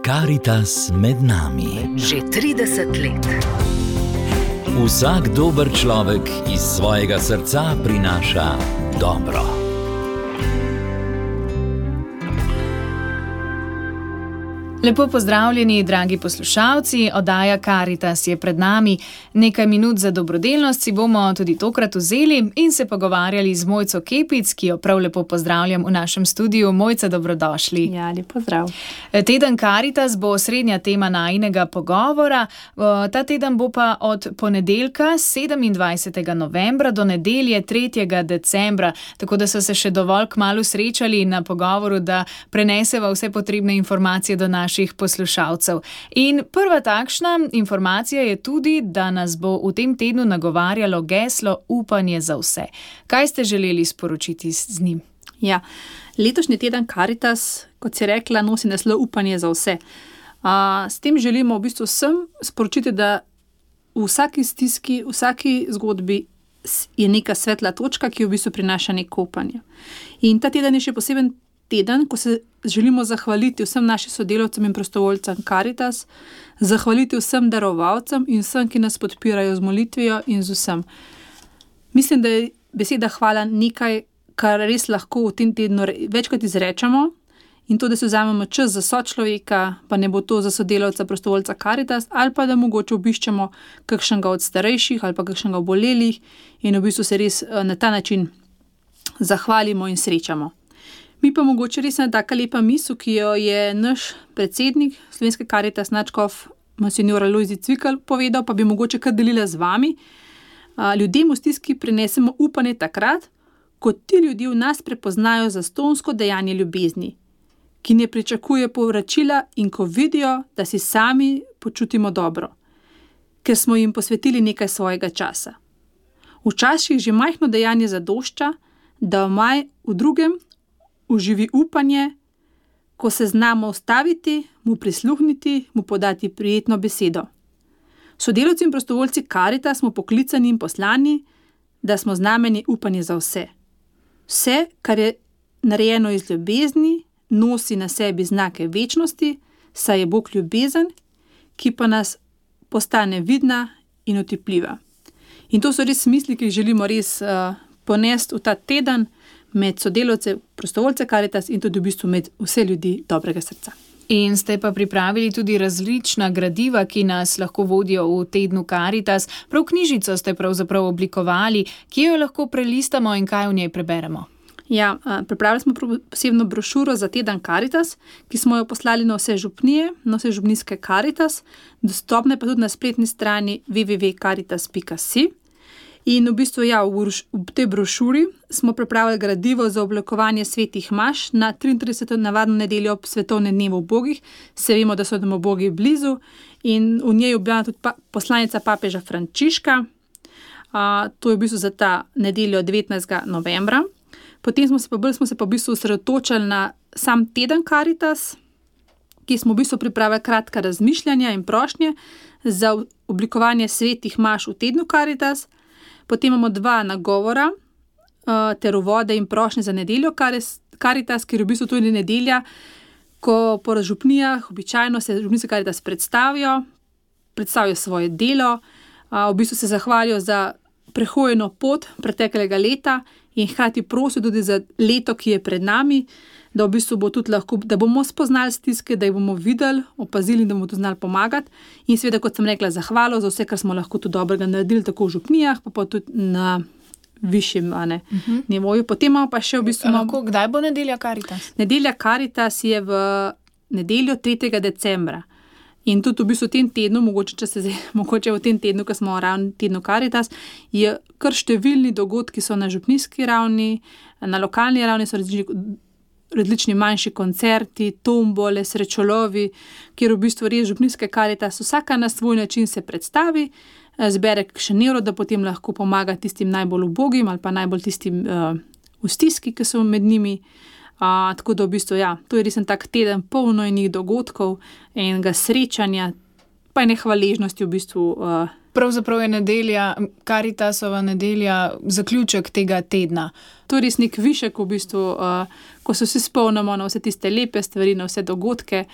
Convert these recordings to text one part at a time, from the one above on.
Karitas med nami. Že 30 let. Vsak dober človek iz svojega srca prinaša dobro. Lepo pozdravljeni, dragi poslušalci, oddaja Karitas je pred nami. Nekaj minut za dobrodelnost si bomo tudi tokrat vzeli in se pogovarjali z Mojco Kepic, ki jo prav lepo pozdravljam v našem studiu. Mojca, dobrodošli. Ja, lep pozdrav. Teden Karitas bo osrednja tema najinega pogovora. Ta teden bo pa od ponedeljka 27. novembra do nedelje 3. decembra, tako da so se še dovolj kmalu srečali na pogovoru, da preneseva vse potrebne informacije do naših poslušalcev. In prva takšna informacija je tudi, da nas bo v tem tednu nagovarjalo geslo Upanje za vse. Kaj ste želeli sporočiti z njim? Ja, letošnji teden Karitas, kot si rekla, nosi naslov Upanje za vse. S tem želimo v bistvu vsem sporočiti, da v vsaki stiski, v vsaki zgodbi je neka svetla točka, ki v bistvu prinaša neko upanje. In ta teden je še poseben teden, ko se želimo zahvaliti vsem našim sodelavcem in prostovoljcem Karitas, zahvaliti vsem darovalcem in vsem, ki nas podpirajo z molitvijo in z vsem. Mislim, da je beseda hvala nekaj, kar res lahko v tem tednu večkrat izrečemo, in to, da se vzamemo čas za sočloveka, pa ne bo to za sodelavca prostovoljca Karitas, ali pa da mogoče obiščemo kakšnega od starejših ali pa kakšnega obolelih in v bistvu se res na ta način zahvalimo in srečamo. Mi pa mogoče res ena taka lepa misel, ki jo je naš predsednik Slovenske Karitas, nadškof monsignor Alojzij Cvikl povedal, pa bi mogoče kar delila z vami. Ljudem v stiski prinesemo upanje takrat, ko ti ljudje v nas prepoznajo zastonjsko dejanje ljubezni, ki ne pričakuje povračila in ko vidijo, da si sami počutimo dobro, ker smo jim posvetili nekaj svojega časa. Včasih že majhno dejanje zadošča, da v drugem uživi upanje, ko se znamo ustaviti, mu prisluhniti, mu podati prijetno besedo. Sodelavci in prostovoljci Karitas smo poklicani in poslani, da smo znamenje upanje za vse. Vse, kar je narejeno iz ljubezni, nosi na sebi znake večnosti, saj je Bog ljubezen, ki pa nas postane vidna in otipljiva. In to so res misli, ki jih želimo res ponesti v ta teden med sodelavce, prostovoljce Karitas in tudi v bistvu med vse ljudi dobrega srca. In ste pa pripravili tudi različna gradiva, ki nas lahko vodijo v tednu Karitas. Prav knjižico ste pravzaprav oblikovali, kje jo lahko prelistamo in kaj v njej preberemo? Ja, pripravili smo posebno brošuro za teden Karitas, ki smo jo poslali na vse župnije, na vse župnijske Karitas, dostopne pa tudi na spletni strani www.karitas.si. In v bistvu, ja, v tej brošuri smo pripravili gradivo za oblikovanje svetih maš na 33. navadno nedeljo ob svetovnem dnevu ubogih. Se vemo, da so nam ubogi blizu in v njej je objavljena tudi poslanica papeža Frančiška. To je v bistvu za ta nedeljo 19. novembra. Potem smo se pa v bistvu osredotočili na sam teden Karitas, ki smo v bistvu pripravili kratka razmišljanja in prošnje za oblikovanje svetih maš v tednu Karitas. Potem imamo 2 nagovora ter uvode in prošnje za nedeljo Karitas, ker je v bistvu tudi nedelja, ko po župnijah običajno se župnijske Karitas predstavijo svoje delo, v bistvu se zahvalijo za prehojeno pot preteklega leta in hkrati prosijo tudi za leto, ki je pred nami, da v bistvu bo tudi lahko, da bomo spoznali stiske, da jih bomo videli, opazili, da bomo tudi znali pomagati. In seveda, kot sem rekla, zahvalo za vse, kar smo lahko tudi dobrega naredili, tako v župnijah, pa tudi na višjem nivoju. Potem imamo pa še v bistvu... Kdaj bo nedelja Karitas? Nedelja Karitas je v nedeljo 3. decembra. In tudi v bistvu v tem tednu, mogoče v tem tednu, ko smo ravno tednu Karitas, je kar številni dogodki so na župnijski ravni, na lokalni ravni so različni manjši koncerti, tombole, srečolovi, kjer v bistvu res župnijske Karitas vsaka na svoj način se predstavi, zbere kakšen evro, da potem lahko pomaga tistim najbolj ubogim ali pa najbolj tistim v stiski, ki so med njimi. Tako da v bistvu, ja, to je res en tak teden polno enih dogodkov, enega srečanja, pa ene hvaležnosti v bistvu Pravzaprav je nedelja, Karitasova nedelja, zaključek tega tedna. To je res nek višek v bistvu, ko se vsi spomnimo na vse tiste lepe stvari, na vse dogodke.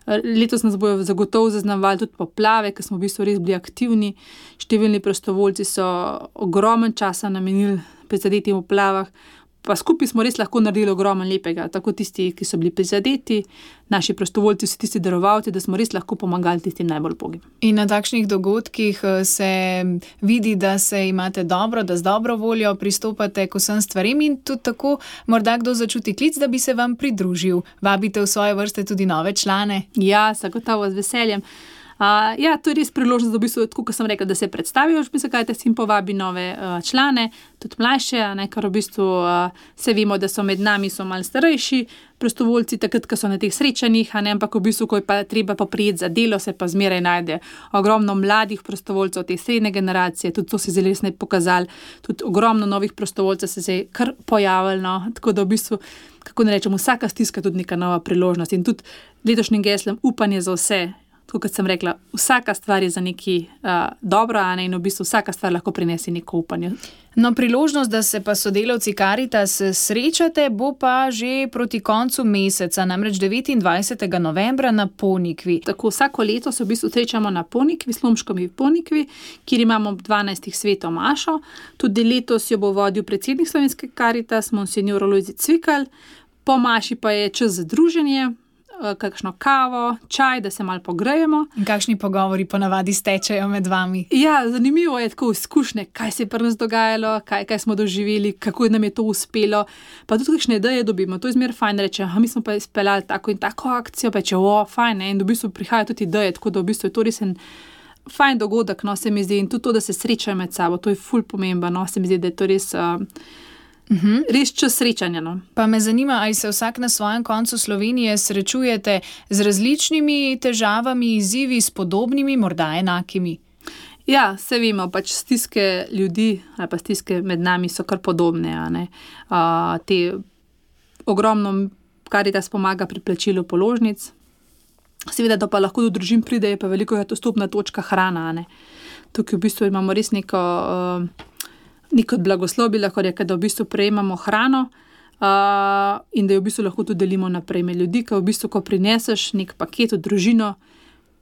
Letos nas bojo zagotovo zaznamovali tudi poplave, ker smo v bistvu res bili aktivni. Številni prostovoljci so ogromen časa namenili prizadetim poplavah, pa skupaj smo res lahko naredili ogromen lepega, tako tisti, ki so bili prizadeti, naši prostovoljci, vsi tisti darovalci, da smo res lahko pomagali tistim najbolj ubogim. In na takšnih dogodkih se vidi, da se imate dobro, da z dobro voljo pristopate k vsem stvarem in tudi tako morda kdo začuti klic, da bi se vam pridružil. Vabite v svoje vrste tudi nove člane? Ja, zagotovo z veseljem. To je res priložnost, da v bistvu, tako kot sem rekla, da se predstavijo, Karitas in povabi nove člane, tudi mlajše, ker v bistvu se vemo, da so med nami so malo starejši prostovoljci, takrat, ko so na teh srečanjih, ampak v bistvu, ko je pa treba poprijeti za delo, se pa zmeraj najde ogromno mladih prostovoljcev, te srednje generacije, tudi to se je zelo resno pokazalo, tudi ogromno novih prostovoljcev se je kar pojavilo, tako da v bistvu, kako ne rečem, vsaka stiska tudi neka nova priložnost in tudi letošnjim geslom upanje za vse. Tako kot sem rekla, vsaka stvar je za neki dobro, in v bistvu vsaka stvar lahko prinese neko upanje. No, priložnost, da se pa sodelavci Karitas srečate, bo pa že proti koncu meseca, namreč 29. novembra na Ponikvi. Tako vsako leto se v bistvu srečamo na Ponikvi, Slomškovi Ponikvi, kjer imamo 12. sveto mašo. Tudi letos jo bo vodil predsednik Slovenske Karitas, monsignor Lojze Cvikl. Po maši pa je čas za druženje, kakšno kavo, čaj, da se malo pogrejemo. In kakšni pogovori ponavadi stečejo med vami? Ja, zanimivo je tako izkušnje, kaj se je pri nas dogajalo, kaj smo doživeli, kako nam je to uspelo. Pa tudi kakšne ideje dobimo. To je zmer fajn reče, mi smo pa izpeljali tako in tako akcijo, pa če fajn, in v bistvu prihajajo tudi ideje, tako da v bistvu je to res en fajn dogodek, se mi zdi, in tudi to, da se srečajo med sabo, to je ful pomembno, se mi zdi, da je to res res čas srečanja. Pa me zanima, ali se vsak na svojem koncu Slovenije srečujete z različnimi težavami, izzivi, s podobnimi, morda enakimi? Ja, se vemo, pač stiske ljudi ali pa stiske med nami so kar podobne. Te ogromno Karitas pomaga pri plačilu položnic. Seveda, da pa lahko do družin pride, je pa veliko je to stopna točka hrana. Tukaj v bistvu imamo res neko blagoslov, bi lahko rekel, da v bistvu prejemamo hrano in da jo v bistvu lahko tudi delimo naprej med ljudi, ker v bistvu, ko prineseš nek paket v družino,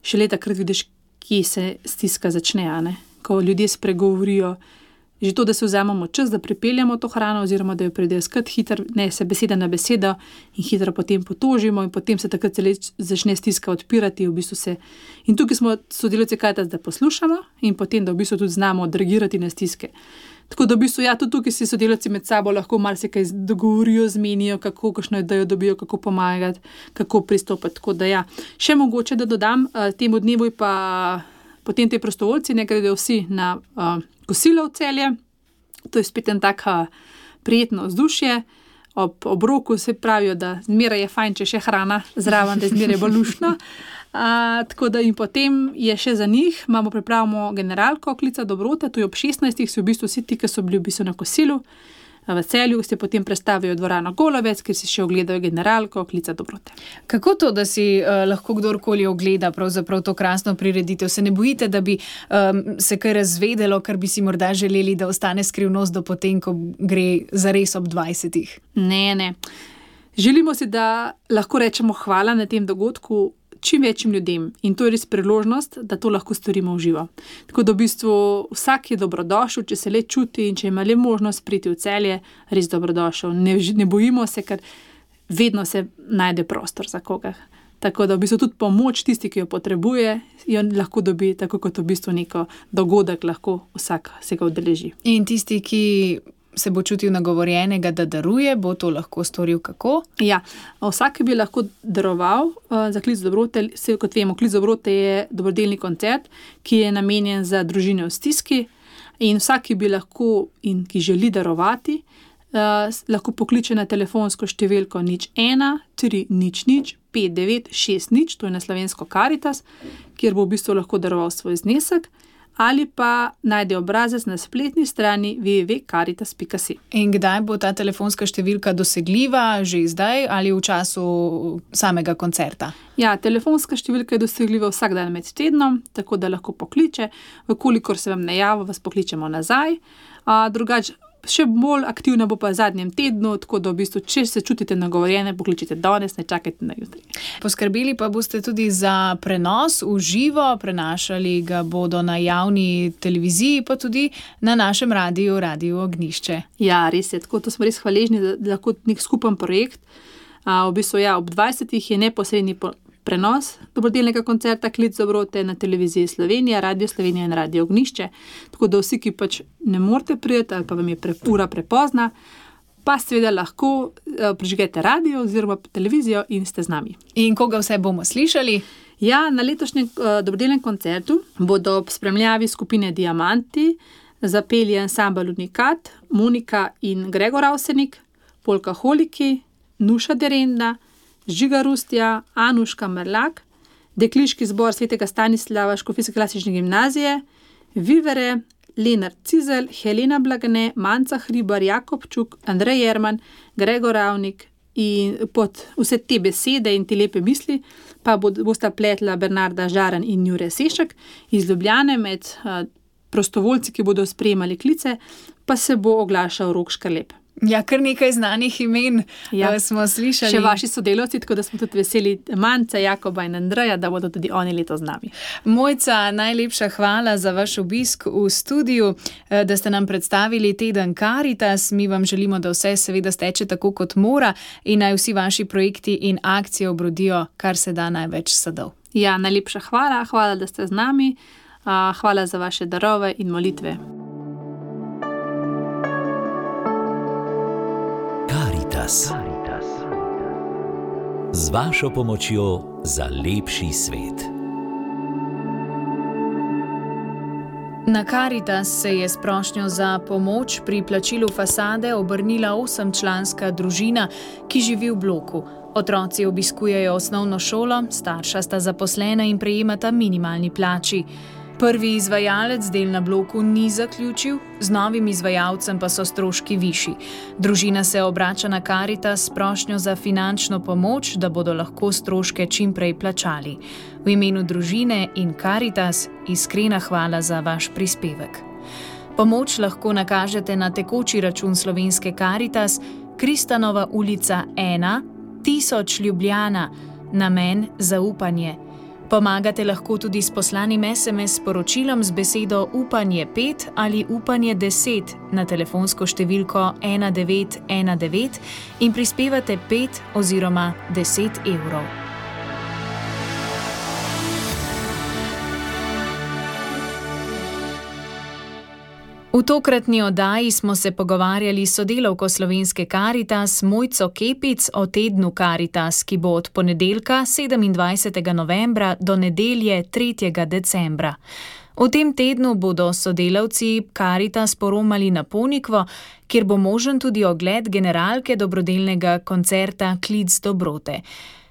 šele takrat vidiš, kje se stiska začne, ko ljudje spregovorijo. Že to, da se vzamemo čas, da pripeljamo to hrano oziroma da jo pridejo skrat hitro, ne se beseda na besedo in hitro potem potožimo in potem se takrat začne stiska odpirati. V bistvu in tukaj smo sodelavci Karitas, da poslušamo in potem, da v bistvu tudi znamo odreagirati na stiske. Tako da v bistvu, tudi tukaj si sodelavci med sabo lahko marsikaj dogovorijo, zmenijo, kakšno idejo dobijo, kako pomagati, kako pristopiti. Tako da še mogoče, da dodam, temu dnevu pa potem te prostovoljci ne gredo vsi na kosilo v Celje. To je spet en tak prijetno vzdušje. Ob obroku se pravijo, da zmeraj je fajn, če še hrana zraven, da je zmeraj bolj luštno. Tako da in potem je še za njih, pripravimo generalko Klica dobrote, to je ob 16. si v bistvu vsi ti, ki so bili v bistvu na kosilu v Celju, se potem predstavijo v dvorano Golovec, kjer si še ogledajo generalko Klica dobrote. Kako to, da si lahko kdorkoli ogleda pravzaprav to krasno prireditev? Se ne bojite, da bi se kaj razvedelo, kar bi si morda želeli, da ostane skrivnost do potem, ko gre zares ob 20? Ne. Želimo si, da lahko rečemo hvala na tem dogodku čim večjim ljudem in to je res priložnost, da to lahko storimo v živo. Tako da v bistvu vsak je dobrodošel, če se le čuti in če ima le možnost priti v Celje, res dobrodošel. Ne bojimo se, ker vedno se najde prostor za koga. Tako da v bistvu tudi pomoč tisti, ki jo potrebuje, jo lahko dobi, tako kot v bistvu neko dogodek lahko vsak se ga udeleži. In tisti, ki se bo čutil nagovorjenega, da daruje, bo to lahko storil kako? Ja, vsak bi lahko daroval za Klic dobrote. Kot vemo, Klic dobrote je dobrodelni koncert, ki je namenjen za družine v stiski in vsak, ki bi lahko in ki želi darovati, lahko pokliče na telefonsko številko 01 300 5960, to je na slovensko Karitas, kjer bo v bistvu lahko daroval svoj znesek. ali pa najde obrazec na spletni strani www.caritas.si. In kdaj bo ta telefonska številka dosegljiva, že zdaj ali v času samega koncerta? Ja, telefonska številka je dosegljiva vsak dan med tednom, tako da lahko pokliče. Vkolikor se vam ne javi, vas pokličemo nazaj. Drugače, še bolj aktivna bo pa v zadnjem tednu, tako da v bistvu, če se čutite nagovorjene, pokličite danes, ne čakajte na jutri. Poskrbeli pa boste tudi za prenos v živo, prenašali ga bodo na javni televiziji, pa tudi na našem radiju, Radiu Ognjišče. Ja, res je, tako to smo res hvaležni, da lahko nek skupen projekt. V bistvu, ja, ob 20. je neposredni prenos dobrodelnega koncerta Klic dobrote na televiziji Slovenija, Radio Slovenija in Radio Ognjišče. Tako da vsi, ki pač ne morete priti ali pa vam je ura prepozna, pa seveda lahko prižgete radio oziroma televizijo in ste z nami. In koga vse bomo slišali? Ja, na letošnjem dobrodelnem koncertu bodo ob spremljavi skupine Diamanti zapeli ansambel Unikat, Monika in Gregor Avsenik, Polkaholiki, Nuša Derenda, Žiga Rustja, Anuška Merlak, Dekliški zbor Svetega Stanislava Škofijske klasične gimnazije, Vivere, Lenart Cizelj, Helena Blagane, Manca Hribar, Jakob Čuk, Andrej Jerman, Gregor Ravnik in pod vse te besede in te lepe misli pa bosta pletla Bernarda Žaran in Jure Sešek iz Ljubljane. Med prostovoljci, ki bodo sprejemali klice, pa se bo oglašal Rok Škarlep. Ja, kar nekaj znanih imen smo slišali. Še vaši sodelavci, tako da smo tudi veseli Mance, Jakoba in Andreja, da bodo tudi oni letos z nami. Mojca, najlepša hvala za vaš obisk v studiu, da ste nam predstavili teden Caritas. Mi vam želimo, da vse seveda steče tako, kot mora in naj vsi vaši projekti in akcije obrodijo kar se da največ sadov. Ja, najlepša hvala, da ste z nami. Hvala za vaše darove in molitve. Caritas. Z vašo pomočjo za lepši svet. Na Caritas se je s prošnjo za pomoč pri plačilu fasade obrnila 8-članska družina, ki živi v bloku. Otroci obiskujejo osnovno šolo, starša sta zaposlena in prejemata minimalni plači. Prvi izvajalec del na bloku ni zaključil, z novim izvajalcem pa so stroški višji. Družina se obrača na Caritas s prošnjo za finančno pomoč, da bodo lahko stroške čim prej plačali. V imenu družine in Caritas iskrena hvala za vaš prispevek. Pomoč lahko nakažete na tekoči račun Slovenske Caritas, Kristanova ulica 1, 1000 Ljubljana, namen zaupanje. Pomagate lahko tudi s poslanim SMS sporočilom z besedo Upanje 5 ali Upanje 10 na telefonsko številko 1919 in prispevate 5 oziroma 10 evrov. V tokratni oddaji smo se pogovarjali s sodelavko Slovenske Caritas Mojco Kepic o tednu Caritas, ki bo od ponedeljka 27. novembra do nedelje 3. decembra. V tem tednu bodo sodelavci Caritas poromali na Ponikvo, kjer bo možen tudi ogled generalke dobrodelnega koncerta Klic dobrote.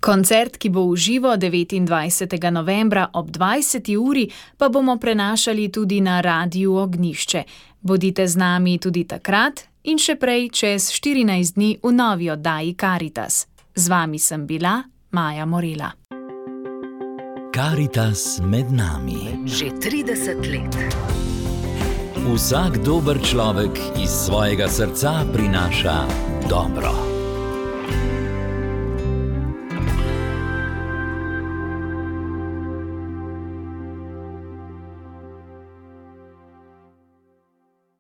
Koncert, ki bo v živo 29. novembra ob 20. uri, pa bomo prenašali tudi na Radiu Ognjišče. Bodite z nami tudi takrat in še prej čez 14 dni v novi oddaji Caritas. Z vami sem bila Maja Morela. Caritas med nami. Že 30 let. Vsak dober človek iz svojega srca prinaša dobro.